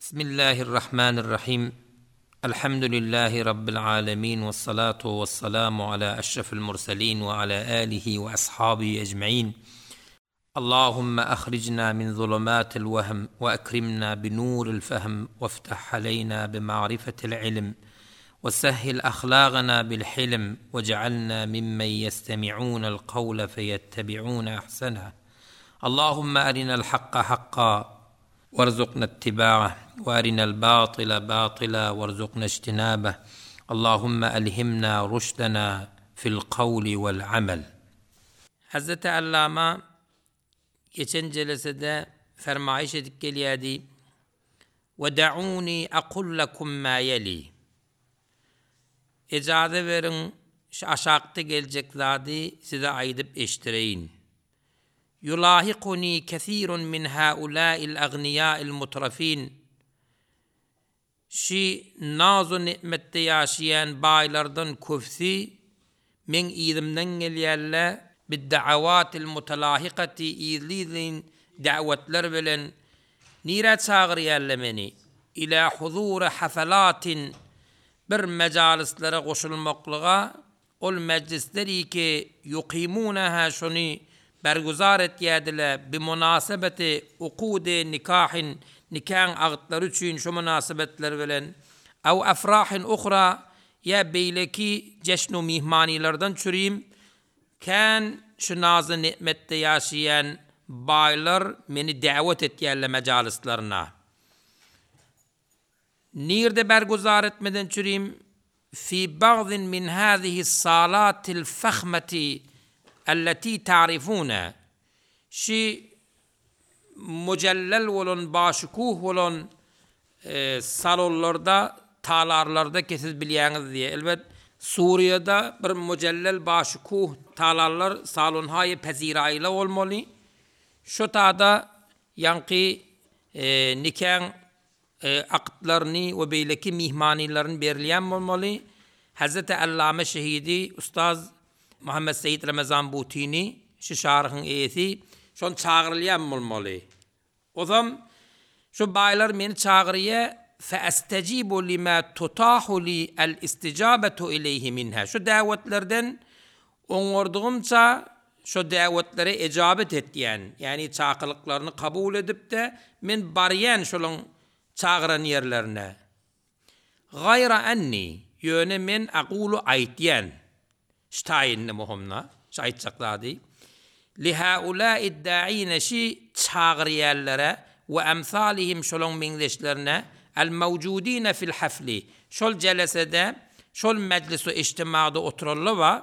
Bismillahirrahmanirrahim. Elhamdülillahi Rabbil alemin ve salatu ve selamu ala eşrefil murselin ve ala alihi ve ashabihi ecmain. Allahümme ahricna min zulumatil vehm ve ekrimna bi nuril fehm ve ftah aleyna bi ma'rifetil ilim ve sehhil ahlagana bil hilm ve cealna mimmen yestemi'unel kavle feyettebi'une ahseneh. Allahümme erinel hakka hakka Warzukna ittiba'ah we erinel batyla batyla warzukna ijtinabah Allahümme elhimna ruşdena fil kavli vel amel. Hazreti Allama geçen jelesede fermaýyş edip gelýärdi, Ve da'uni aqul lekum ma yeli. Ejaza beriň, şu aşakda geljek zady size aýdyp eşdireýin. Ýulahikuni kesirun min haulâil agniýâil mutrafin, Şi naz-u-ni'metde ýaşaýan baýlardan köpüsi meň yzymdan gelýärler, bid-da'awatil mutalahikati yzly-yzlyn da'watlar bilen nirä çagyrýarlar meni? Ilâ huzuri hafalatin bir mejalyslere goşulmaklyga Ol mejlisler ki ýukimunaha şony berguzar etýärdiler, bimunasebeti ukudy nikahin nikaň agtlary üçin şu mynasybetler bilen, aw afrahin uhra ýa beýleki jeşnu myhmanylardan çürim, kän şu nazy-ni'metde ýaşaýan baýlar meni däwet etýärler mejalyslaryna. Nirde berguzar etmeden çürim, Fi bagdin min hazihi salatil fahmeti elleti ta'rifune, şi mujellel bolan, başukuh bolan salonlarda, talarlarda ki siz bilýäňiz diýe. Elbet, Suriýada bir mujellel başukuh talarlar, salonhaýy peziraýyla bolmaly. Şo tada ýaňky nikaň aktlaryny we beýleki myhmanylaryny berilýän bolmaly. Hezreti Allame Şehidi Ustaz Muhammet Seýit Ramazan Butini, şu şaryhyň eýesi, şon çagyrylýan bolmaly. Ozam şu baýlar meni çagyrýa, feestejibu lima tutahu li el-istijabetu ileýhi minha. Şu däwetlerden oňardygymça şo däwetlere ejabet etýän, ýagny çakylyklaryny kabul edip-de, men barýan şolaň çagyran ýerlerine. Gaýra enni, ýöne men aqulu aýtýan, şu taýynny muhymna, şu aýtjak zady, li haulâid dâine şi çagyrýanlara we emsalihim şolaň meňzeşlerine, el mewjudine fil hafli, şol jelesede, şol mejlisu-ijtimada oturanlar bar,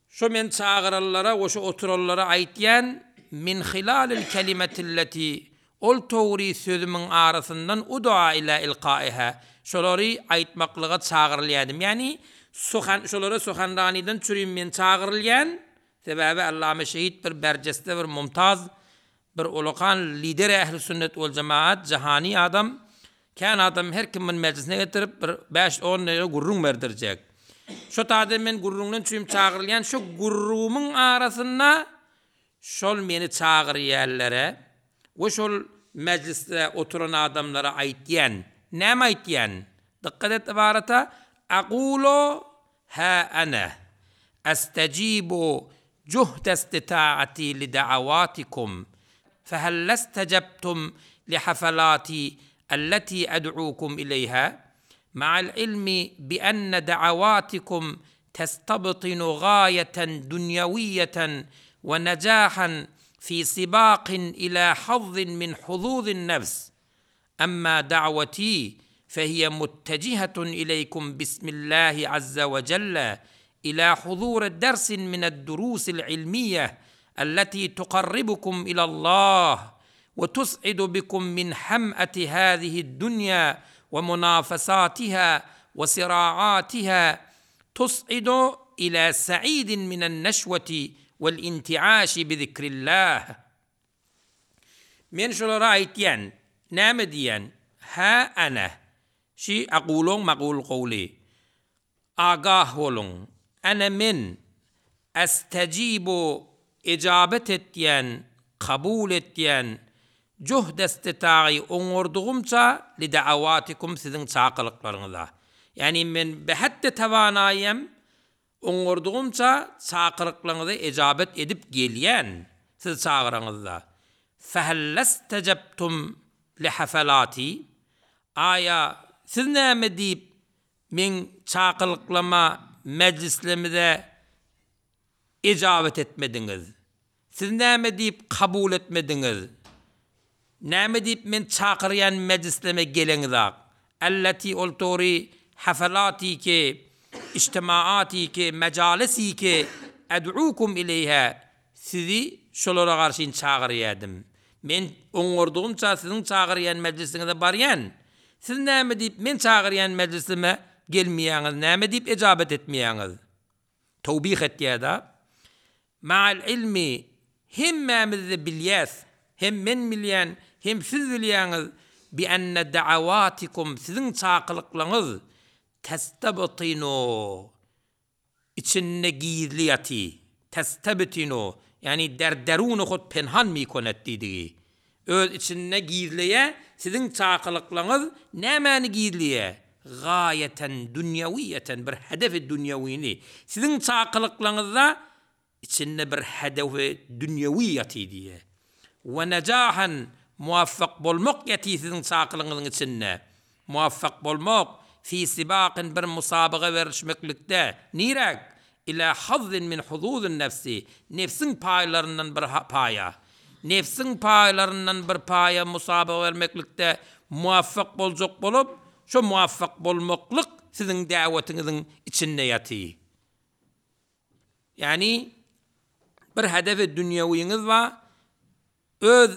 Şo men çagyranlara we şo oturanlara aýtýan, min hilalil kelimetilleti, ol towry sözümiň arasyndan ud'a ila ilkaiha, şolary aýtmaklyga çagyrylýadym. Ýagny, suhan, şolara suhanranydan çürim men çagyrylýan, sebäbi Allame Şehit bir berjeste bir mumtaz Bir ulakan lideri ähli sünnet wal jemaat jahani adam kän adam her kim muny mejlisine getirip bir bäş on dagyga gürrüň berdirjek. Şo taýda men gürrüňden çüým çagyrylýan şo gürrümiň arasynda şol meni çagyrýanlara we şol mejlisde oturan adamlara aýtýan. Näme aýtýan? Dykgat et ybarata Aqulu Ha ana astajibu juhda istitaati li da'awatikum fehal lestejebtum li hafalati allati ad'ukum ileýha ma'al ilmi bi enne da'awatikum testabtinu gaýeten dunýawiýeten we nejahan fi sibaqin ila hazzin min huzuzin nefs Emma da'wati fehiye muttejihetun ileykum bismillahi azze we celle ila huzuri dersin mined-durusil ilmiyyeh elleti tukarribukum ilallah we tus'idu bikum min hem'eti hazihi'd-dunya we munafesatiha we sira'atiha tus'idu ila sa'idin minen-neşweti wel-inti'aşi bizikrillah. Men şolara aýtýan, näme diýýän, Hä, ene, şi aqulyň magul gowly. Agah boluň, ene men, estejibu, ejabet etýän, kabul etýän, Juhdestitagy oňardygymça lida'awatikum siziň çakylyklaryňyza. Ýagny men behetde tawanaýym, oňardygymça çakylyklaryňyza ejabet edip gelýän siz çagyraňyzda. Fehellestejebtum lihafalati Aýa siz näme diýip meň çakylyklama mejlislemize ejabet etmediňiz? Siz näme diýip kabul etmediňiz? Näme diýip men çakyrýan mejlisleme geleňizak? Elleti ol tory hafalatiki, ijtimaatiki, mejalisiki ed'ukum ileýha sizi şolara garşyn çagyrýadym. Men oňardygymça siziň çagyrýan mejlisiňize barýan. Siz näme diýip men çagyrýan mejlisime gelmeýäňiz, näme diýip ejabet etmeýäňiz? Towbih etýär-de. Ma'al ilmi, hemmämiz-de bilýäs, hem men bilýän, hem siz bilýäňiz, bi enne da'awatikum, siziň çakylyklaryňyz, testebtinu, içinde gizli ýaty, testebtinu, ýagny der deruni hut penhan mikonet diýdigi. Öz içinde gizleýär, siziň çakylyklaryňyz nämäni gizleýär? Gaýeten dünýewiýeten, bir hedefi dünýewini. Siziň çakylyklaryňyzda içinde bir hedefi dünýewi ýatyr diýýär. We nejahan, muwaffak bolmak ýatyr siziň çakylygyňyzyň içinde. Muwaffak bolmak, fi sibakyn bir musabaga berlişmeklikde, niräk? Ila hazzin min huzuzin nefsi, nebsiň paýlaryndan bir paýa. Nebsiň paýlaryndan bir paýa musabaga bermeklikde muwaffak boljak bolup, şo muwaffak bolmaklyk siziň däwetiňiziň içinde ýatyr. Ýagny, bir hedefi dünýewiňiz bar, Öz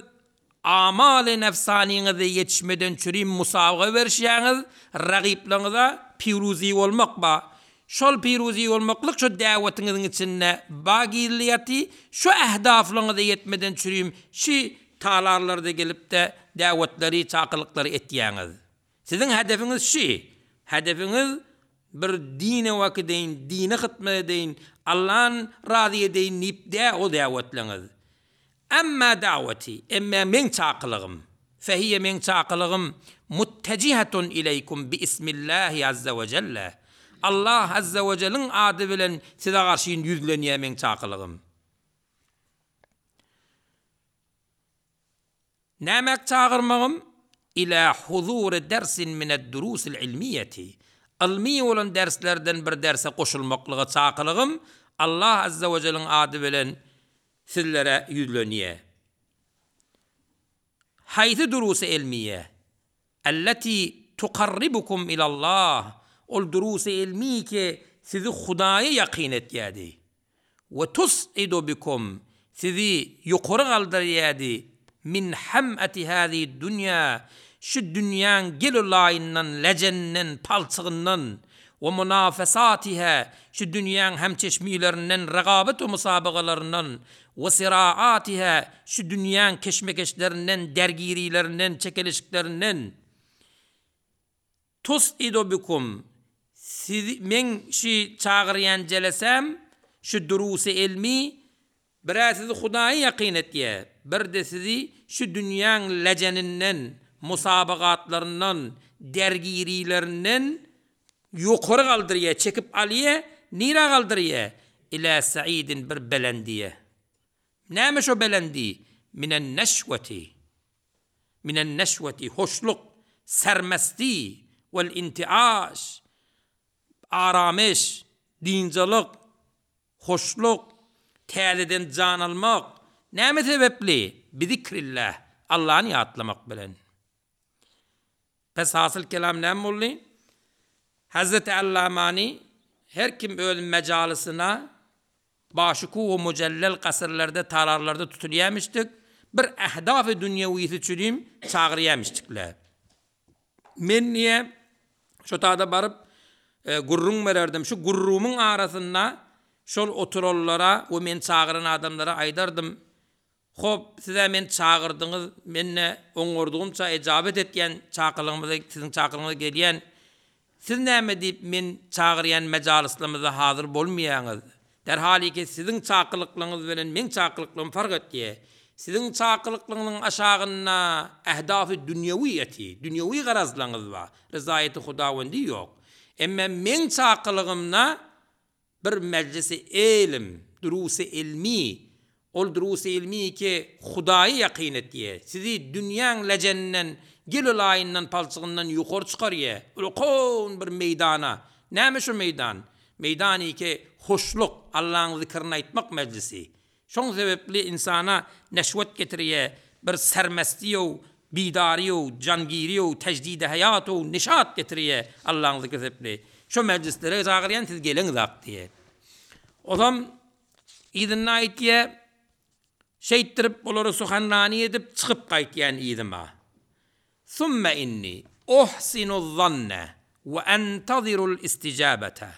amaly nefsanyňyza ýetişmeden çürim musabaga berişýäňiz, ragyplaryňyza piruzi bolmak ba. Şol piruzi bolmaklyk şo däwetiňiziň içinde ba gizli ýaty, şo ähdaflaryňyza ýetmeden çürim şi talarlarda gelipde däwetleri, çakylyklary etýäňiz. Siziň hedefiňiz şi. Hedefiňiz bir dine wakideýin, dine hytmat edeýin, Allan razy edeýin diýip dä o däwetleňiz. Emma da'weti, emme meň çakylygym, fehiýe meň çakylygym muttejihetun ileýkum bi ismillahi azze we jelle, Allah azze we jeliň ady bilen size garşyn ýüzlenýär meň çakylygym. Nämäk çagyrmagym? Ila huzuri dersin mined-durusil ilmiýeti, ylmy bolan derslerden bir derse goşulmaklyga çakylygym Allah azze we jeliň ady bilen sizlere ýüzlenýär. Haýsy durusy elmiýe? Elleti tukarribukum ilallah, ol durusy elmi ki sizi Hudaýa ýakyn etýärdi. We tus'idu bikum, sizi ýokary galdyrýardy, min ham'ati hazihi dunýa, şu dünýäň gel-u-laýyndan, lejeninden, palçygyndan, we munafesatiha, şu dünýäň hemçeşmilerinden, regabat we musabagalaryndan, we siraatiha, şu dünýäň keşmekeşlerinden, dergirilerinden, çekeleşiklerinden, Tus'idu bikum, sizi, meň şi çagyrýan jelesäm, şu durusy elmi, bir-ä sizi Hudaýa ýakyn etýär, bir-de sizi şu dünýäň lejeninden, musabagatlaryndan, dergirilerinden ýokary galdyrýar, çekip alýar, nirä galdyrýar? Ilä sa'idin bir belendiýe. Näme şo belendi? Minen neşweti. Minen neşweti, hoşluk, sermesti, wel intiaş, aramyş, dynjalyk, hoşluk, täzeden jan almak, näme sebäpli? Bizikrillah, Allany ýatlamak bilen. Pes hasyl kelam näme boldy? Hezreti Allamany her kim öz mejalysyna Başykuw we mujellel kasyrlarda, talarlarda tutulýamişdik, bir ähdaf-y dünýewisi üçinem çagyrýamişdikler. Men diýe, şo tada baryp, gürrüň bererdim. Şu gürrümiň arasynda şol oturanlara we meni çagyran adamlara aýdardym, Hop, siz-ä meni çagyrdyňyz, men-de oňardygymça ejabet etýän çakylygyňyza, siziň çakylygyňyza gelýän. Siz näme diýip men çagyrýan mejalyslarymyzda hazyr bolmaýaňyz? Derhaliki siziň çakylyklaryňyz bilen meň çakylyklaryym fark etýär. Siziň çakylyklygyňyzyň aşagynda ähdafy dünýewi ýaty, dünýewi garazlaryňyz bar, ryzaýaty Hudawendi ýok. Emme meň çakylygymda bir mejlisi ylym, durusy ylmy, ol durusy ylmy ki Hudaýa ýakyn etýär, sizi dünýäň lejeninden, gel-u-laýyndan, palçygyndan ýokary çykarýar, ulkan bir meýdana. Näme şo meýdan? Meýdany ki hoşluk, Allaň zikrini aýtmak mejlisi. Şoň sebepli ynsana neşwet getirýä, bir sermestiýow, bidaryýow, jangiriýow, tejdidi haýatow, nişat getirýä Allaň zikri sebepli. Şo mejlislere çagyrýan siz geleňzak diýe. Ozam yzynda aýtýa, şeýtdirip olary suhanrani edip çykyp gaýtýan yzyma. Summe inni uhsinu zanne we entazirul istijabete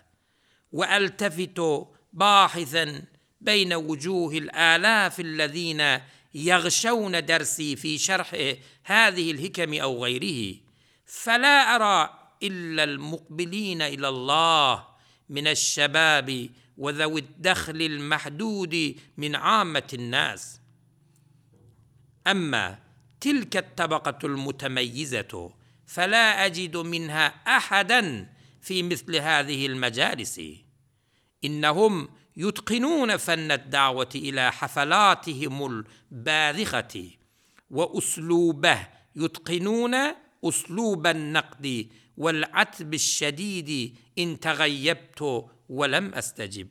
we eltefitu bahisen beýne wujuhil alafillezine ýagşewne dersi fi şerhi hazihil hikemi ew gaýrihi fela era illel mukbiline ilallah mineşşebabi we zewid-dehlil mahdudi min ammetin nas. Emma tilket-tabakatul mutemeýýizetu fela ejidu minha ahadan fi misli hazihil mejalisi. Innehum yutkinune fenned-da'weti ila hafalatihimul bazihati we uslubeh yutkinune usluben-nakdi wel-atbiş-şedidi in tegaýýebtu we lem estejib.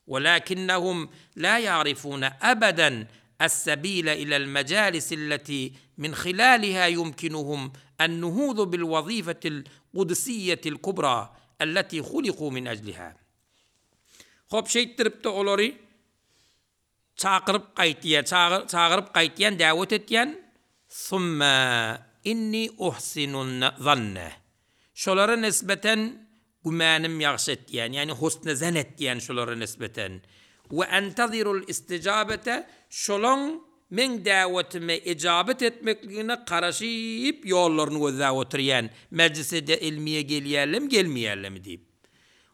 Welakinnehum la ýa'rifune ebeden es-sebile ilel mejalisi-lleti min hilaliha ýumkinuhum en-nuhudu bil-wazifetil kudsiýetil kubra elleti huliku min ejliha. Hop, şeýtdirip-de olary çakyryp gaýtýar, çagyryp gaýtýan, däwet etýän, Summe inni uhsinun zanne. Şolara nisbeten Gümänim ýagşy etýän, ýagny husny zen etýän şolara nisbeten. We entazirul istijabete, şolaň meň däwetime ejabet etmekligine garaşyp ýollaryny gözläp oturýan, mejlise-de ilmiýe gelýärlermi, gelmeýärlermi diýip.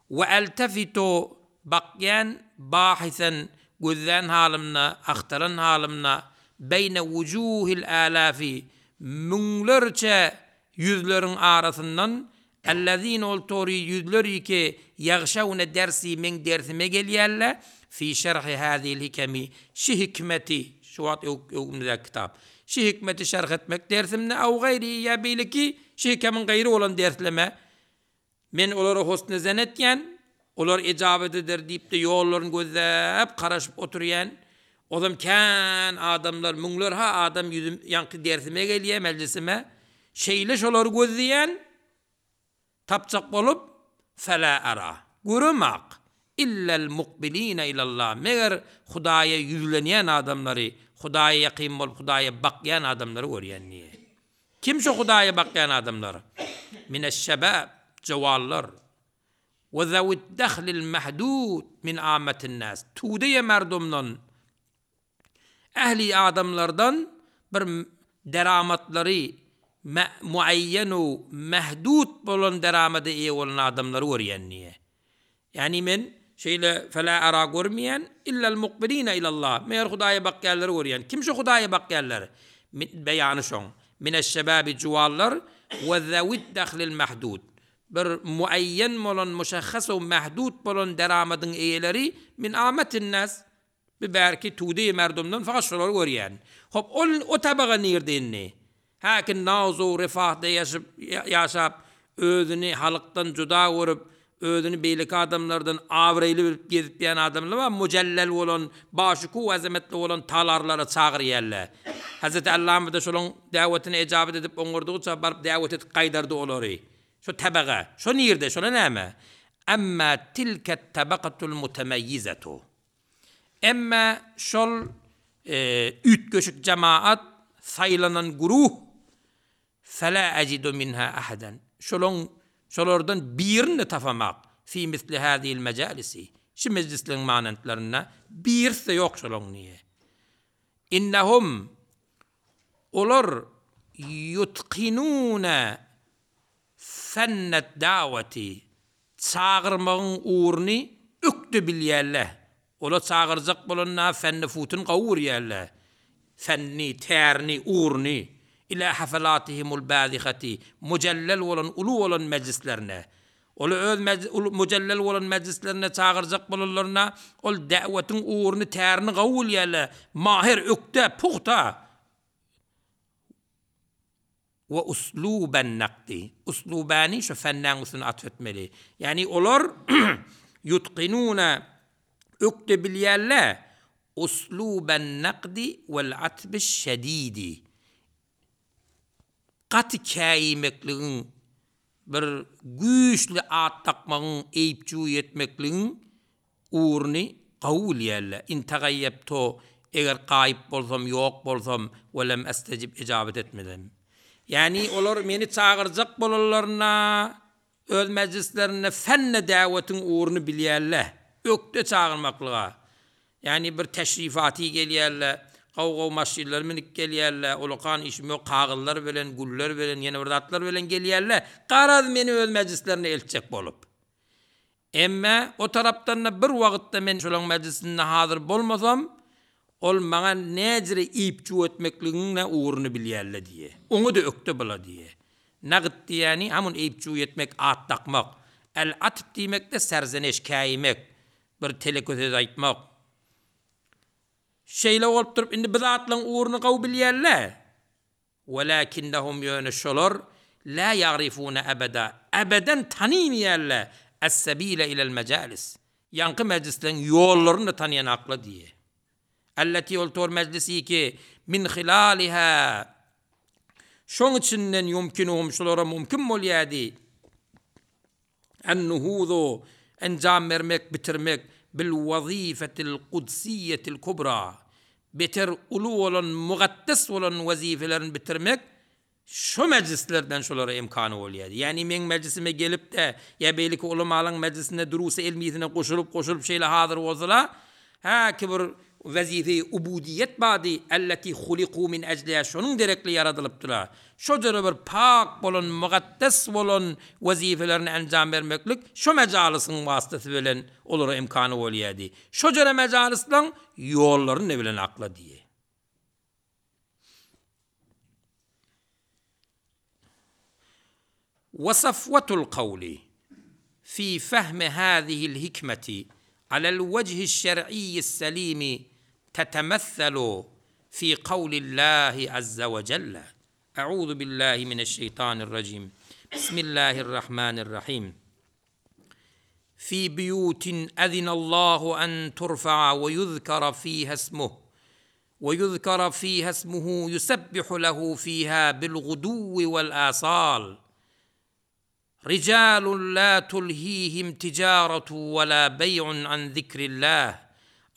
We eltefitu, bakýan, bahisen, gözlän halymda, agtaran halymda, beýne wujuhil älafi, müňlerçe ýüzleriň arasyndan Ellezine ol tory ýüzleri ki ýagşawne dersi meň dersime gelýärler, fi şerhi hazihil hikemi şi hikmeti, şu wagt öňümizdäki kitap, şi hikmeti şerh etmek dersimde aw gaýrihi ýa beýleki şi hikemiň gaýry bolan dersleme men olara husny zen etýän, olar ejabet eder diýip-de ýollaryny gözläp garaşyp oturýan, ozam kän adamlar müňler-ha adam ýüzüm ýaňky dersime gelýär mejlisime, Şeýle şolary gözleýän, tapjak bolup, Felâ arâ, göremak, illel mukbiline ilallah, meger Hudaýa ýüzlenýän adamlary, Hudaýa ýakyn bolup, Hudaýa bakýan adamlary görýän diýýär. Kim şo Hudaýa bakýan adamlar? Mineş-şebab, jowanlar. We zewid-dehlil mehdud min âmmetin-nâs, tudeýe merdomdan, Ähli adamlardan bir deramatlary muaýýen-u mehdud bolan deramada eýe bolan adamlary görýän diýýär. Ýagny men şeýle felâ arâ görmeýän, illel mukbiline ilallah, meger Hudaýa bakýanlary görýän. Kim şo Hudaýa bakýanlar? Beýany şoň. Mineşşebabi juwanlar we zewid-dehlil mehdud. Bir muaýýen bolan, muşahhas-u mehdud bolan deramadyň eýeleri min âmetin-nas, Bu bärki tudeýi merdumdan fakat şolary görýän. Hop, ol o tabaga nirde indi? Häki naz-u refahda ýaşyp, ýaşap, özüni halkdan juda görüp, özüni beýleki adamlardan abraýly bilip gezip ýän adamlar bar, mujellel bolan, başukuw azametli bolan talarlara çagyrýarlar. Hezreti Allamyz-da şolaň däwetine ejabet edip oňardygyça baryp däwet edip gaýdardy olary. Şo tabaga. Şo nirde? Şola näme? Emma tilket tabakatul mutemeýýizetu. Emma şol üýtgeşik jemaat, saýlanan güruh, Fela ejidu minha ahadan, şolaň, şolardan birini-de tapamak, fi misli hazihil mejalisi, şu mejlisleriň manentlerinde birisi-de ýok şolaň diýýär. Innehum, olar ýutkinune fennet daweti, Çagyrmagyň ugruny ökde bilýärler. Olar çagyrjak bolanda fenni-futuny gowy görýärler. Fenni, tärini, ugruny, ilâ hafalatihimul bâzihati, mujellel bolan, uly bolan mejlislerine. Oly öz mujellel bolan mejlislerine çagyrjak bolanlarynda, ol da'wetiň ugruny, tärini gawy bilýärler, mahir, ökde, pugta. We usluben nakdi. Uslubäni şu fennäň üstüne atf etmeli. Ýagny olar ýutkinune ökde bilýärler usluben nakdi wel atbi şedidi. Gaty käýmekligiň bir güýçli at dakmagyň eýip-jüý etmekligiň Ugruny gawy bilýärler. In tagaýýabtu, eger gaýyp bolsam, ýok bolsam, we lem estejib, ejabet etmesem. Ýagny olar meni çagyrjak bolanlarynda, öz mejlislerinde fenne däwetiň ugruny bilýärler. Ökde çagyrmaklyga. Ýagny bir teşrifaty gelýärler, gowy-gowy maşynlary münüp gelýärler, ulakan işim ýok, kagyzlar bilen, güller bilen, ýene bir zatlar bilen gelýärler. Garaz, meni öz mejlislerine eltjek bolup. Emme o tarapdan-da bir wagtda men şolaň mejlisinde hazyr bolmasam, ol maňa näjire iýip-juw etmekligiň-de ugruny bilýär-le diýe. Oňa-da ökde bula diýe. Nagt diýýäni hamun iýip-juw etmek, at dakmak. Äl-atb diýmek-de serzeneş, käýimek, bir teleke söz aýtmak. Şeýle bolup durup, indi bu zatlaryň ugruny gowy bilýär-le. Welakinnehum ýöne şolar lä ýa'rifune ebeda, ebeden tanymaýarlar, es-sebile ilel mejalis, ýaňky mejlisleň ýollaryny-da tanaýanaklar diýýär. Elleti ol tor mejlisi ki, min hilaliha, şoň içinden ýumkinuhum şolara mümkin bolýardy, En-nuhuzu, enjam bermek, bitirmek, bil-wazifetil kudsiýetil kubra, beter uly bolan, mukaddes bolan wezipelerini bitirmek şo mejlislerden şolara imkany bolýar. Ýagny meň mejlisime gelip-de, ýa beýleki ulamalaň mejlisinde durusy ilmisine goşulyp, goşulyp şeýle hazyr bolsalar, hä ki bir Wezife-i ubudiýet bardy, elleti huliku min ejliha, şonuň derekli ýaradylypdylar. Şo jüre bir pak bolan, mukaddes bolan wezipelerini enjam bermeklik şo mejalysyň wasytasy bilen olara imkany bolýardy. Şo jüre mejalyslaň ýollaryny ne bilen akla diýe. We safwatul kawli fi fehmi hazihil hikmeti alel wejhiş şer'iyyis selimi tetemesselu fi kawlillahi azze we celle, Euzu billahi mineşşeýtanirrajim, Bismillahirrahmanirrahim. Fi buyutin ezinallahu en turfa'a we yuzkara fiha ismuh we yuzkara fiha ismuhu yusebbihu lehu fiha bil guduwwi wal asal Rijalun la tulhihim tijaratu we la beý'un an zikrillah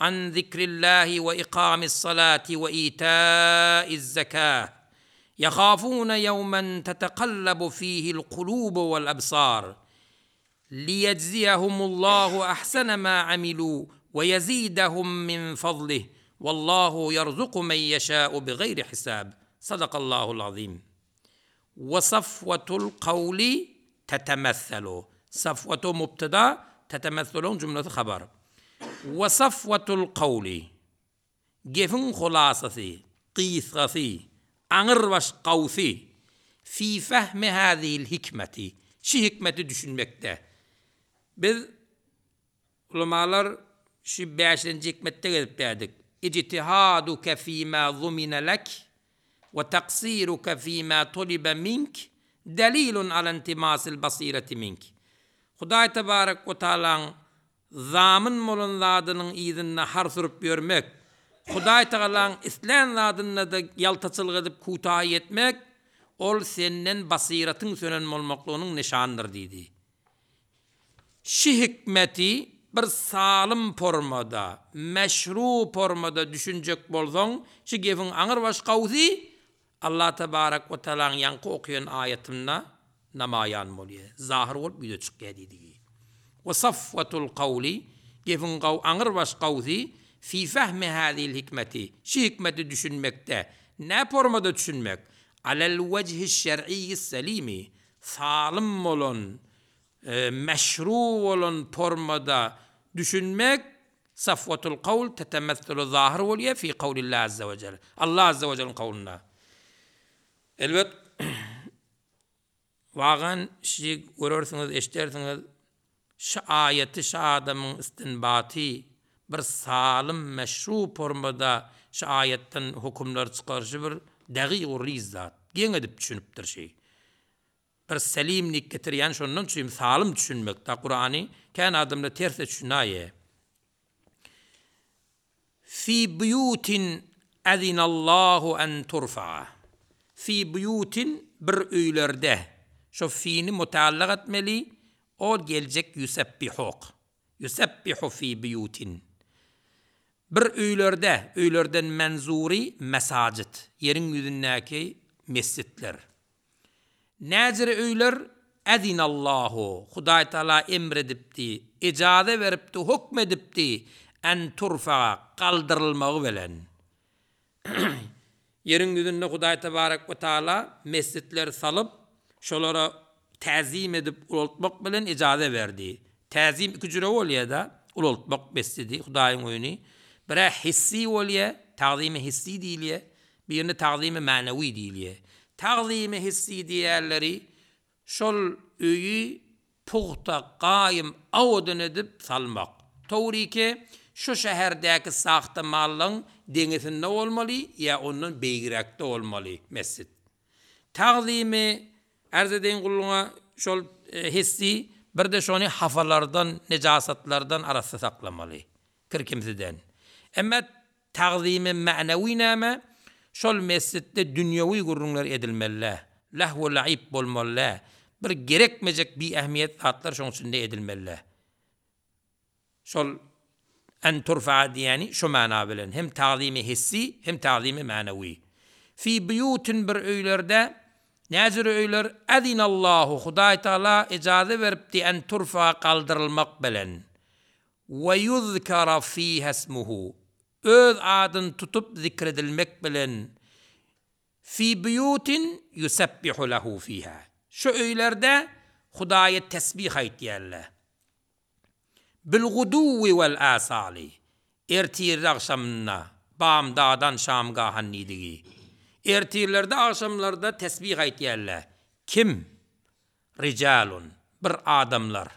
an zikrillahi we ikamis salati we ita'iz zekah Yahafune yevmen tetekallabu fihil kulubu wal absar Liýejziyehumullahu ahsene ma amilu we ýezidehum min fadlih Wallahu ýerzuku men ýeşâ'u bigaýri hisab Sadakallahul azim We safwatul kawli tetemesselu Safwatu mubtada tetemesseluň jümlesi habar We safwatul kawli Gepiň hulasasy, gysgasy, aňyrbaş gawsy, Fi fehmi hazihil hikmeti, şi hikmeti düşünmekde. Biz, ulamalar, şi bäşinji hikmetde gezip bärdik. Ijtihaduke fima zumine lek we taksiruke fima tulibe mink delilun ala intimasil basireti mink. Hudaý tebarek we taalaň Zamyn bolan zadynyň yzynda har sürüp ýörmek, Hudaý Tagalaň islän zadynda-da ýaltaçylyk edip kutaýy etmek, ol senden basyratyň sönen bolmaklygynyň nyşanydyr diýdi. Şi hikmeti bir salym formada, meşru formada düşünjek bolsaň, şi gepiň aňyrbaş gawsy Allah tebarek we tealaň ýaňky okaýan aýatynda namaýan bolýar, zahyr bolup ýüze çykýar diýdigi. We safwatul kawli, gepiň gaw aňyrbaş gawsy, fi fehmi hazihil hikmeti, şi hikmeti düşünmekde, nä formada düşünmek, alel wejhiş şer'iyyis selimi, salym bolan, meşru bolan formada düşünmek, Safwatul kawl tetemesselu zahyr bolýar fi kawlillahi azza we jel. Allah azza we jeliň kawlynda. Elbet wagan şi görersiňiz, eşdersiňiz, şi aýaty şi adamyň istinbaty bir salym meşru formada şi aýatdan hökümler çykaryşy bir dagyg-u riz zat. Geň edip düşünipdir şi. Bir selim nik getirýän şondan üçin salym düşünmek da Kurany kän adamlar ters düşünaýe. Fi buýutin azinallahu an turfa'a. Fi buýutin bir öýlerde. Şo fini mutallak etmeli ol geljek ýusebbihok. Ýusebbihu fi buýutin. Bir öýlerde, öýlerden menzury mesajit, ýeriň ýüzündäki mesjitler. Näjere öýler Ezinallahu, Hudaý Tagala emr edipdi, ejaza beripdi, hukm edipdi, en turfa'a, galdyrylmagy bilen. Ýeriň ýüzünde Hudaý Tebarek we Taala mesjitler salyp, şolara täzim edip ulaltmak bilen ejaza berdi. Täzim iki jüre bolýar-da, ulaltmak mesjidi, Hudaýyň öýüni. Birä hissi bolýar, tagzimi hissi diýilýär. Birine tagzymy mänewi diýilýär. Tagzymy hissi diýýänleri şol öýi pugta, gaýym, awadan edip salmak. Towrike şu şäherdäki sahta-mallaň deňesinde bolmaly ýa ondan beýigräkde bolmaly mesjit. Tagzymy arz edeýin gulluňa şol hissi, bir-de şony hafalardan, nejasatlardan arassa saklamaly, kir-kimsiden. Emma Tagzymy mänewi näme? Şol mesjitde dünýewi gürrüňler edilmeli-dä. Lähw-laib bolmaly-dä. Bir gerekmejek biähmiýet zatlar şoň içinde edilmeli-dä. Şol en turfa'a diýýäni şo mana bilen, hem tagzymy hissi, hem tagzymy mänewi. Fi buýutin bir öýlerde, näjüre öýler, Azinallahu, Hudaý Tagala ejaza beripdi en turfa'a galdyrylmak bilen. We ýuzkara fiha ismuhu, Öz adyny tutup zikredilmek bilen, fi buýutin ýusebbihu lehu fiha, Şu öýlerde Hudaýa tesbih aýtýarlar. Bil-guduwwi wel-asali, Ertirde-agşamynda, bamdadan şamgahan diýdigi. Ertirlerde agşamlarda tesbih aýtýarlar. Kim? Rijalun, bir adamlar,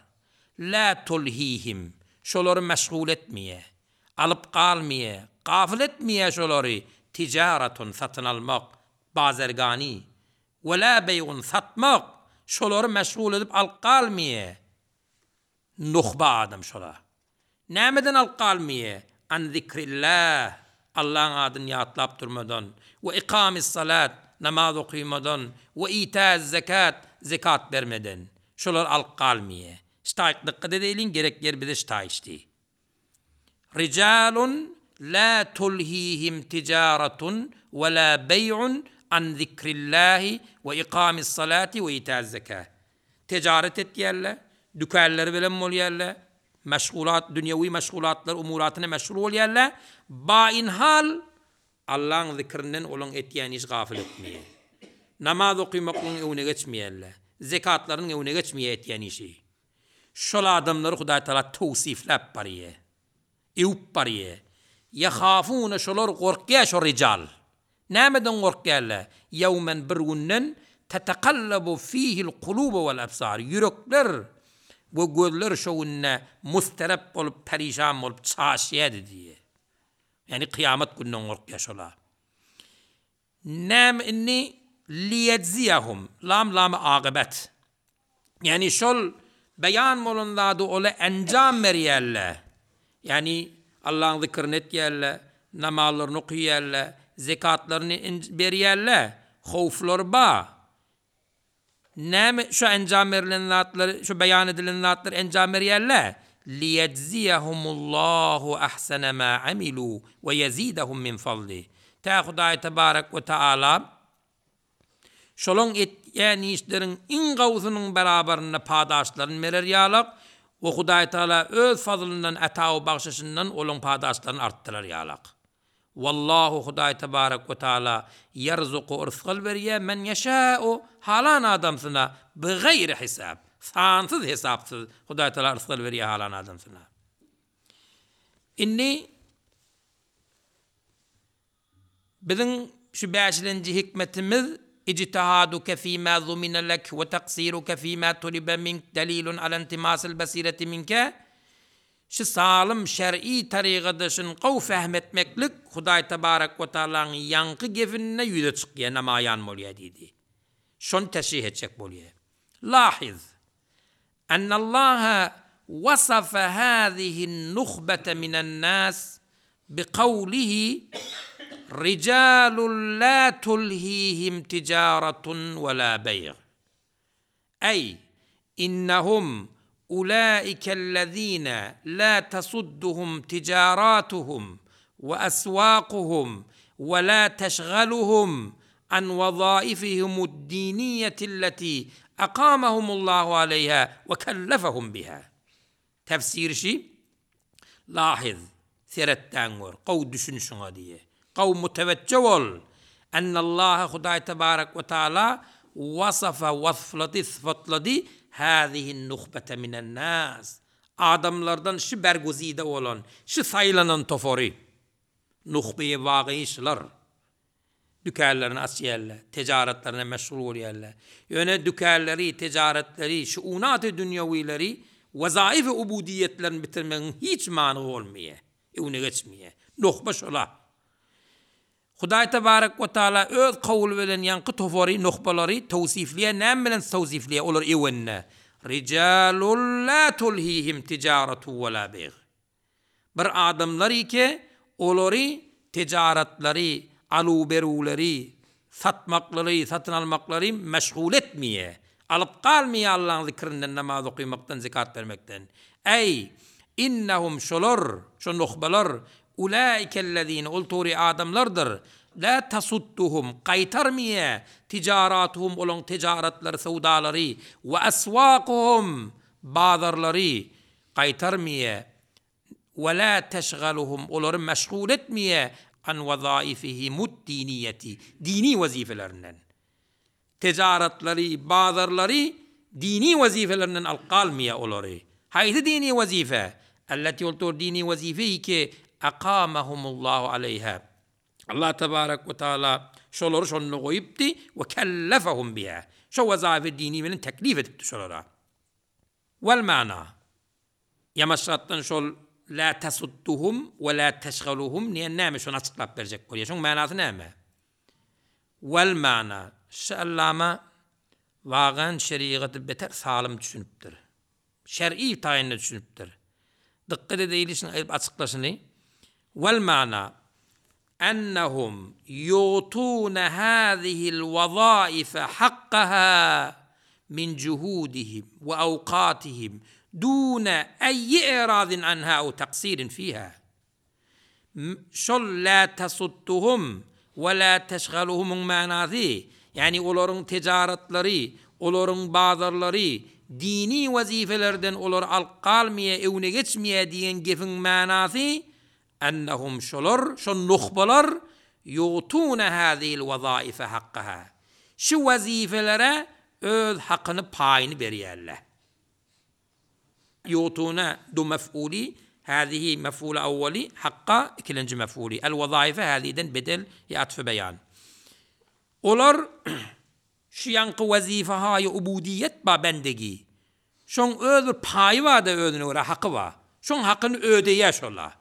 lä tulhihim, şolary meşgul etmeýär, alyp galmaýar, gafyl etmeýär şolary tijaratun, satyn almak, bazergani, we lä beýgun, satmak, şolary meşgul edip alyp galmaýar. Nuhba adam şola. Nämeden alyp galmaýa? An zikrillah, Allaň adyny ýatlap durmadan, we ikamis-salat, namaz okymadan, we ita'iz-zekat, zekat bermeden. Şolar alyp galmaýa. Ştaýk dykgat edeýliň, gerek ýer bize ştaýçdy. Rijalun la tulhihim tijaratun we la beý'un an zikrillahi we ikamis-salati we ita'iz-zekat. Tejaret etýärler, dükänleri bilen bolýarlar, meşgulat, dünýewi meşgulatlar, umuratyna meşgul bolýarlar. Bainhal Allaň zikrinden olaň etýän işi gafyl etmeýär. Namaz okymaklygyň öňüne geçmeýärler. Zekatlarynyň öňüne geçmeýär etýän işi. Şol adamlary Hudaý Tagala towsifläp barýar. Öwüp barýar. Ýehafune şolar gorkýar şo rijal. Nämeden gorkýarlar? Ýewmen bir günden tetekallabu fihil kulubu wal absar ýürekler we gözler şo günde musterep bolup perişan bolup çaşýardy diýýär. Ýagny kyýamat gününden gorkýar şolar. Näme indi liýejziyahum, lam lamy akybet. Ýagny şol beýan bolan zady ola enjam berýärler. Ýagny Allaň zikrini etýärler, namazlaryny okaýarlar, zekatlaryny berýärler, howflary bar. Näme şu enjam berlen zatlary, şu beýan edilen zatlary enjam berýärler? Liýejziyahumullahu ahsana ma amilu we ýezidahum min fadli. Tä Hudaý tebarek we taala şolaň etýän işleriň iň gowusynyň beraberinde padaşlaryny berer ýalak we Hudaý taala öz fazlyndan ata we bagşyşyndan olaň padaşlaryny artdyrar ýalak. Wallahu Hudaý tebarek we taala ýerzuku yrsgal berýär men ýeşäu halan adamsyna bigaýri hisap sansyz hesapsyz Hudaý taala yrsgal berýär halan adamsyna. Indi biziň şu bäşilenji hikmetimiz Ijtihaduke fîmâ zumine lek we taksiruke fîmâ tulibe mink delilun ala intimasil basireti minke Şu salym şer'i tarygada şuny gowy fehm etmeklik Hudaý tebarek we taalaň ýaňky gefinde ýüze çykýar, namaýan bolýar diýdi. Şony teşrih etjek bolýar. Lahiz, Ennallaha wasafa hazihin nuhbete minen nas bikawlihi Rijalun la tulhihim tijaratun we la beýg. Eý, innehum ulaikellezine la tasudduhum tijaratuhum we aswakuhum we la teşgaluhum an wezaifihimud-diniyyetilleti akamahumullahu aleýha we kellefehum biha. Tefsiri şi, Lahiz, seret-däň gör, gowy düşün şuňa diýe. Gowy mutewejje bol! Ennallaha Hudaý tebarek we taala wasafa wasflady, sypatlady, hazihin-nuhbete minen-nas, adamlardan şi berguzide bolan, şi saýlanan tofary, nuhbeýi wagyý şylar. Dükanlaryny açýarlar, tejaratlaryna meşgul bolýarlar. Ýöne dükanlary, tejaratleri, şuunaty dünýewileri, wezaif-i ubudiýetlerini bitirmegiň hiç manygy bolmaýar, öňüne geçmeýär. Nuhba şola. Hudaý tebarek we taala öz kowly bilen ýaňky tofary, nuhbalary towsifleýär. Näme bilen towsifleýär? Olar ewende, Rijalul la tulhihim tijaratu we la beýg. Bir adamlar ike, olary tejaratlary, aluw-beruwleri, satmaklary, satyn almaklary meşgul etmeýär. Alyp galmaýar Allaň zikrinden, namaz okymakdan, zekat bermekden. Äý, innehum şolar, şo nuhbalar, ulaikellezine, ol tory adamlardyr, la tasudduhum, gaýtarmaýar, tijaratuhum, olaň tejaratlary, söwdalary, we aswakuhum, bazarlary, Gaýtarmyýa, we lä teşgaluhum, olary meşgul etmeýä, an wezaifihimud-diniýeti, dini wezifelerinden. Tejaratlary, bazarlary dini wezifelerinden alyp galmaýa olary. Haýsy dini wezife? Elleti ol tor dini wezife ki, akamahumullahu aleýha. Allah tebarek we taala şolary şonda goýupdy, we kellefehum biha. Şo wezafe dini bilen teklif edipdi şolara. Wal mana, Ýamaşgatdan şol lä tasudduhum we lä teşgaluhum diýen näme şony açyklap berjek bolýar. Şoň manasy näme? Wal mana, Şu allama wagan şerigaty beter salym düşünipdir. Şer'i taýynda düşünipdir. Dykgat edeýli şuny aýdyp açyklaşyny. Wal mana, Ennehum ýutune hazihil wezaife hakkaha min juhudihim we awkatihim dune eýi eradin anha ew taksirin fiha. Şol la tasudduhum we la teşgaluhumyň manasy, ýagny olaryň tejaratlary, olaryň bazarlary dini wezipelerden olary alyp galmaýar, öňüne geçmeýär diýen gepiň manasy, Ennehum şolar, şo nuhbalar, ýutune hazihil wezaife hakkaha. Şu wezifelere öz hakyny, paýyny berýärler. Ýutune du mef'uly, hazihi mef'uly awwaly, hakka ikilenji mef'uly, el wezaife haziden bedel ýa atfy beýan. Olar şu ýaňky wezife-haýy ubudiýet ba bendegi. Şoň öz bir paýy bar-da özüne görä haky bar. Şoň hakyny ödeýär şola.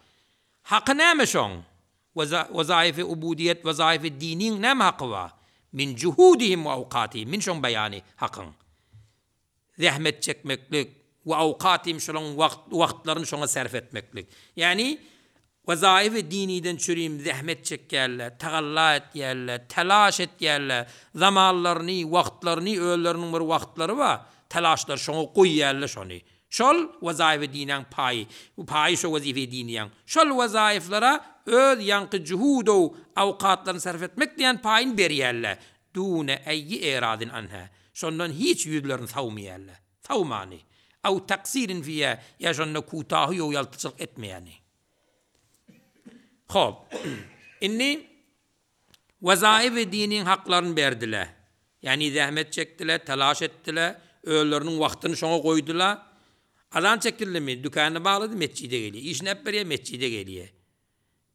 Haky näme şoň? Wezaýyfy ubudiýet, wezaýyfy diniň näme haky bar? Min juhudihim we awkatihim, min şoň beýany hakyň. Zähmet çekmeklik, we awkatihim şolaň wagtlaryny şoňa sarf etmeklik. Ýagny Wezaýyfy diniden çürim zähmet çekýärler, tagalla etýärler, telaş etýärler, zamanlaryny, wagtlaryny, özleriniň bir wagtlary bar, telaşlary şoňa goýýarlar şony. Şol wezaýyfy dinäň paýy, paýy şo wezife-i diniýäň. Şol wezaýyflara öz ýaňky juhudow awkatlaryny sarf etmek diýen paýyny berýärler. Dune eýyi eradin anha. Şondan hiç ýüzlerini sawmaýarlar. Sawmany. Aw taksirin fiýa, ýa şonda kutahy ýow ýaltaçylyk etmeýäni. Hop. Indi wezaýyf-i diniň haklaryny berdiler. Ýagny zähmet çekdiler, talaş etdiler, özleriniň wagtyny şoňa goýdular. Azan çekildimi, dükanyny baglady, metjide gelýär. Işini äp berýär, metjide gelýär.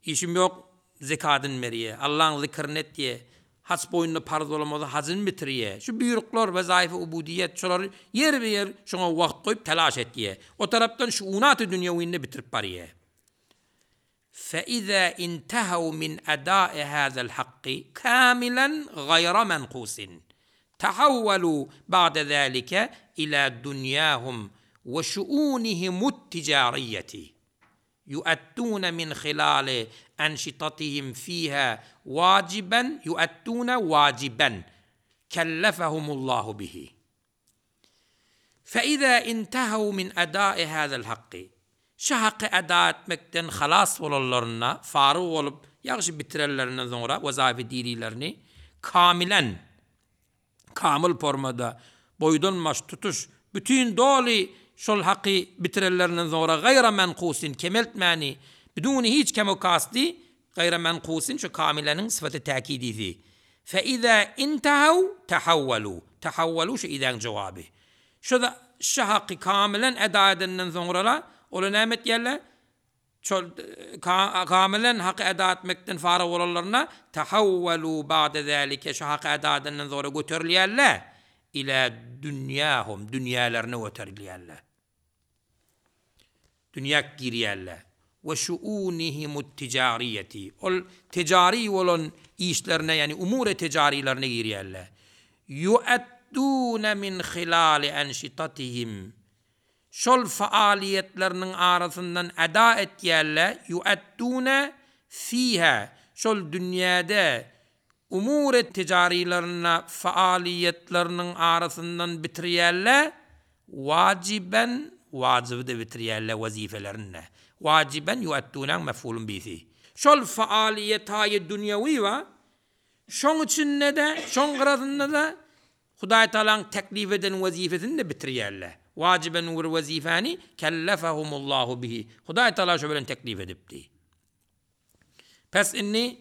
Işim ýok, zekadyny berýär, Allaň zikrini etýär, haç boýnuna parz bolan bolsa hajyny bitirýär. Şu buýruklar, wezaýyfy ubudiýet, şolary ýerbe-ýer şoňa wagt goýup telaş etýär. O tarapdan şuunaty dünýewini-de bitirip barýar. Fe-izä intehew min eda'i hazel hakky kamilen gaýra menkusin, tahawwalu ba'de zalike ila dunýahum we şuunihimut tijariýeti. Ýu'adduna min hilali enşitatihim fiha wajiben ýu'adduna wajiben kellefehumullahu bihi. Fe-izâ intehew min edâi hâzel hakky, Şu haky eda etmekden halas bolanlarynda, faryg bolup, ýagşy bitirenlerinden soňra wezaýyfy dinilerini kamilen, kamyl formada, boýdan-baş, tutuş, bütin, doly şol haky bitirenlerinden soňra gaýra menkusin, kemeltmäni, biduni hiç kemu-kasdy, gaýra menkusin şu kamileniň syfaty täkidisi. Fe izä intehew tehawwalu, tehawwalu şu izäň jogaby. Şu şu haky kamilen eda edenden soňra-la, olar näme etýärler? Şol kamilen haky eda etmekden faryg bolanlarynda, tehawwalu ba'de zalike, şu haky eda edenden soňra göterilýärler, ila dünýahum, dünýälerine göterilýärler. Dünýä girýärler. We şu'unihimut tijariýeti, ol tejari bolan işlerine, ýagny umuri tejarilerine girýärler. Ýu'adduna min hilali enşitatihim, Şol faaliýetleriniň arasyndan eda etýärler, ýu'addune fiha, şol dünýäde umur tijarylarynda faaliýetleriniň arasyndan bitirýärler, wajiben, wajyby-da bitirýärler wezipelerini-de. Wajiben ýu'addunaň mef'ulun bisi. Şol faaliýetaýy dünýewi bar, şoň içinde-de, şoň gyrasynda-da Hudaý Tagalaň teklip eden wezipesini-de bitirýärler. Wajiben bir wezipani kellefehumullahu bihi. Hudaý Tagala şo bilen teklip edipdi. Pes indi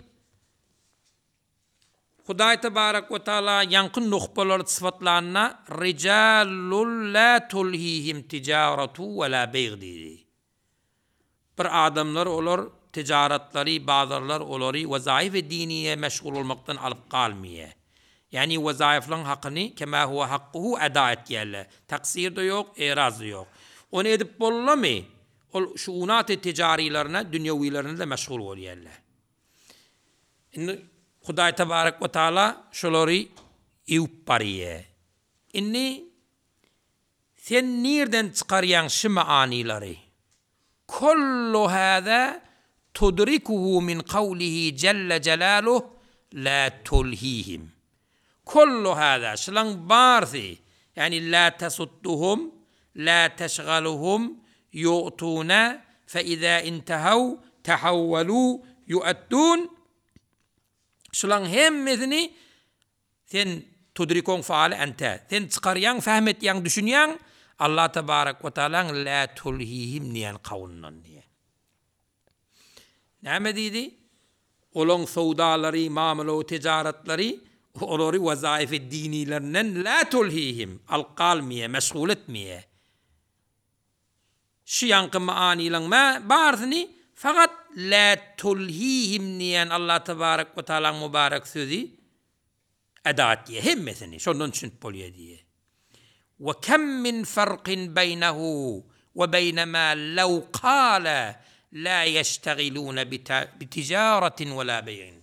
Hudaý Tebarek we Taala ýaňky nuhbalary sypatlanda rijalul la tulhihim tijaratu we la beýg diýdi. Bir adamlar olar tejaratlary, bazarlar olary wezaýyf-i diniýe meşgul bolmakdan alyp galmaýar. Ýagny wezaýyflaryň hakyny kema huwa hakkuhu eda etýärler. Taksir-de ýok, eraz-da ýok. Ony edip bollamy, ol şuunat-y tejarilerine, dünýewilerine-de meşgul bolýarlar. Indi Hudaý tebarek we taala şolary ewüp barýar. Indi Sen nirden çykarýaň şy manylary? Kollu hâzâ tudrikuhu min kawlihi jelle jelaluh lâ tulhihim. Kollu hâzâ, şylaň barsy, ýagny lâ tesudduhum, lâ teşgaluhum, ýu'tune, fe izâ intehaw, tehawwelû, ýu'eddûn, şylaň hemmesini Sen tudrikoň faali ente. Sen çykarýaň, fähm etýäň, düşünýäň, Allah tebarek we taalaň lä tulhihim diýen kawlyndan diýýär. Näme diýdi? Olaň sowdalary, mamla we tejaratlary olary wezaýyfy dinilerinden lä tulhihim, alyp galmaýar, meşgul etmeýär. Şu ýaňky manylaň barysyny fakat lä tulhihim diýen Allah tebarek we taalaň mübarek sözi eda etýär hemmesini şondan düşünip bolýar diýýär. We kem min farkin beýnehu we beýne ma lew kale la ýeştegilune bi tijaratin we la beýin.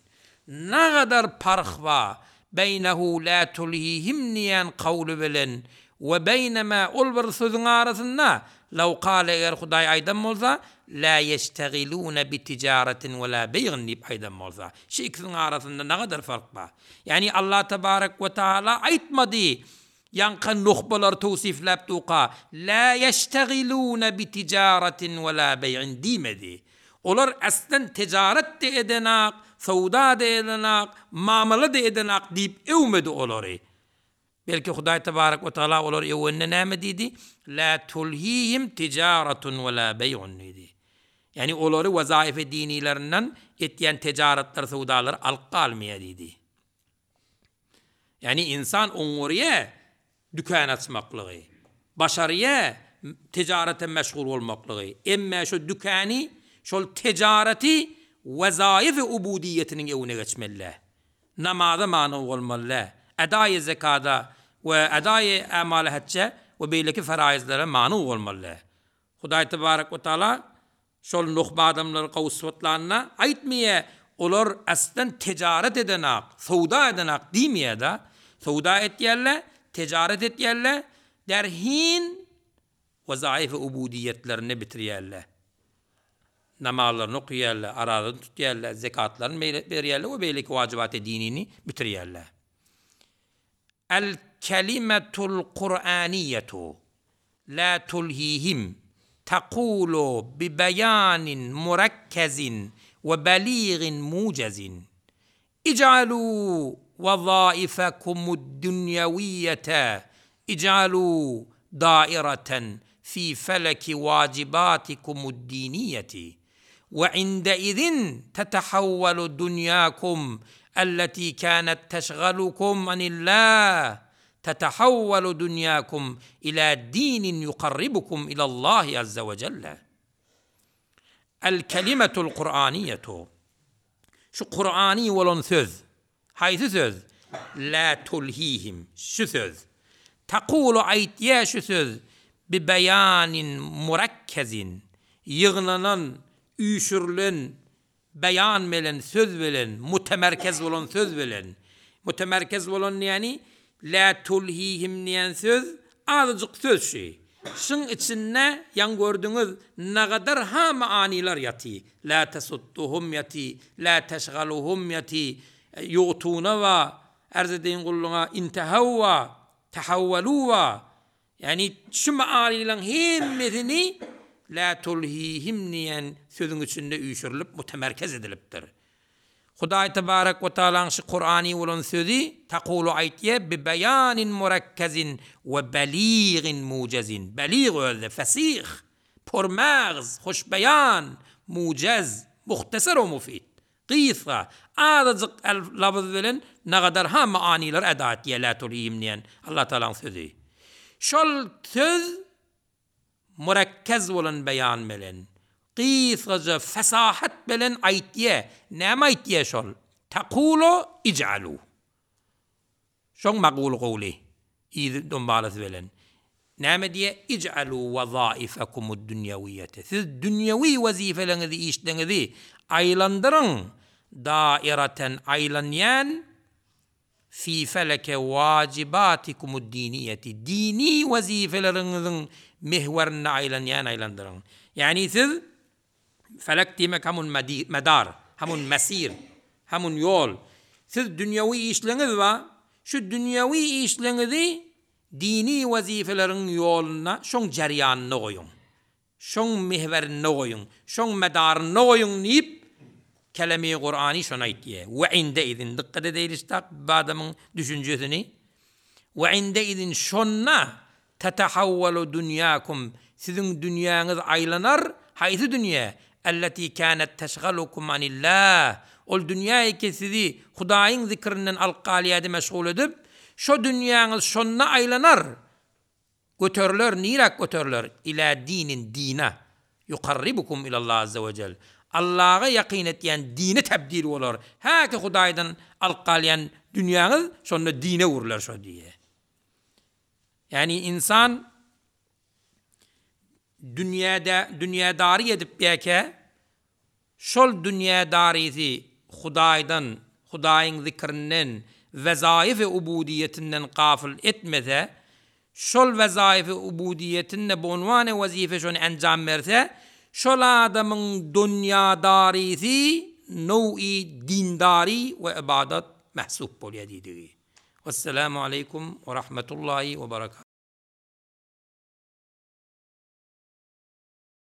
Nagadar parh bar beýnehu lä tulhihim diýen kawly bilen we beýne mä ol bir sözüň arasynda, law kale eger Hudaý aýdan bolsa, lä ýeştegilune bi tijaratin we lä beýgin diýip aýdan bolsa. Şu ikisiniň arasynda nagadar fark bar. Ýagny Allah tebarek we taala aýtmady, Ýaňky nuhbalary towsifläp duka, Lä ýeştegilune bi tijaratin we lä beý'in diýmedi. Olar aslen tejaret-de edenak, söwda-da edenak, mamala-da edenak diýip öwmedi olary. Belki Hudaý tebarek we tagala olary öwende näme diýdi? Lä tulhihim tijaratun we lä beý'un diýdi. Ýagny olary wezaýyfy dinilerinden etýän tejaratlar, söwdalary alyp galmaýar diýdi. Ýagny ynsan oňňurýa dükän açmaklygy, başarýa. Tijarete meşgul bolmaklygy. Emme şo dükany, şol tejaraty wezaýyf-i ubudiýetiniň öwüne geçmeli-dä. Namaza many bolmaly-dä. Edaýy zekada we edaýy ämaly hejje we beýleki feraýyzlara many bolmaly-dä. Hudaý tebarek we taala şol nuhba adamlary gowy sypatlanda aýtmaýa, olar aslan tejaret edenak, söwda edenak diýmeýä-da. Söwda etýärler, tejaret etýärler, derhin wezaýyf-i ubudiýetlerini bitirýärler. Namazlaryny okaýarlar, arazasyny tutýarlar, zekatlaryny berýärler we beýleki wajybaty dinini bitirýärler. El-kelimetul Kur'aniýetu la tulhihim takulu bi beýanin murekkezin we beligin mujezin Ij'alû wezaifekumud-dünýewiýete ij'alû daireten fî feleki wajibatikumud-diniýeti we indeizin tetehawwelu dunýakum elletî kânet teşgalukum anillah tetehawwelu dunýakum ilâ dinin yukarribukum ilallahi azze we celle. El-kelimetul Kur'aniýetu Şu Kur'any bolan söz. Haýsy söz? Lä tulhihim. Şu söz. Takulu aýtýa şu söz bi beýanin murekkezin. Ýygnanan, üýşürilen beýan bilen, söz bilen, mutemerkez bolan söz bilen. Mutemerkez bolan diýeni Lä tulhihim diýen söz azajyk söz şü. Şyň içinde ýaň gördüňiz nagadar ha manylar ýaty. Lä tesudduhum ýaty, lä teşgaluhum ýaty, ýugtuna ba, ärz edeýin gulluňa, intehaw ba, tehawwalu ba. Ýagny şu manylaň hemmesini lä tulhihim diýen sözüň içinde üýşürilip mutemerkez edilipdir. Hudaý tebarek we taalaň şu Kurany bolan sözi takulu aýtýa bi beýanin murekkezin we beligin mujezin. Belig özde fesih, pormagz, hoşbeýan, mujez, muhteser we mufid. Gysga, azajyk labyz bilen nagadar ha manylar eda etýä lä tulhihim diýen Allah taalaň sözi. Şol söz Murekkez bolan beýan bilen, gysgaja fesahat bilen aýtýa. Näme aýtýa şol? Takulu ij'alu. Şoň maguly gowly, yzy dombalasy bilen. Näme diýýä? Ij'alu wezaifekumud-dünýewiýete. Siz dünýewi wezipeleriňizi, işleriňizi aýlandyryň, daireten aýlanýan, Fi feleke wajibatikumud-diniýeti, dini wezipeleriňiziň mihwerinde aýlanýan aýlandyryň. Ýagny siz, felek diýmek hamun medar, hamun mesir, hamun ýol. Siz dünýewi işleňiz bar, şu dünýewi işleňizi dini wezipeleriň ýolunda, şoň jerýanynda goýuň. Şoň mihwerinde goýuň, şoň medarynda goýuň diýip, Kelemi Kurany şony aýtýar. We indeizin, dykgat edeýliş-da bu adamyň düşünjesini. We indeizin, şonda, tetehawwalu dünýäkum, siziň dünýäňiz aýlanar, haýsy dünýä? Elleti kânet teşgalukum anillah, ol dünýä ki sizi Hudaýyň zikrinden alyp galýardy meşgul edip, şo dünýäňiz şonda aýlanar, Göteriler, niräk göteriler? Ilä dinin, dine. Ýukarribukum ilallah azze we jel. Allaha ýakyn etýän dine tebdil bolar. Häki Hudaýdan alyp galýan dünýäňiz şonda dine öwrüler şo diýýär. Ýagny ynsan dünýäde dünýädary edip ýäkä Şol dünýädarysy Hudaýdan, Hudaýyň zikrinden, wezaýyf-i ubudiýetinden gafyl etmese, şol wezaýyf-i ubudiýetinde bu unwan-y wezife şony enjam berse, şol adamyň dunýadarysy now'i dindary we ybadat mehsup bolýar diýdigi. Wesselamu aleýkum we rahmetullahi we berekatuh.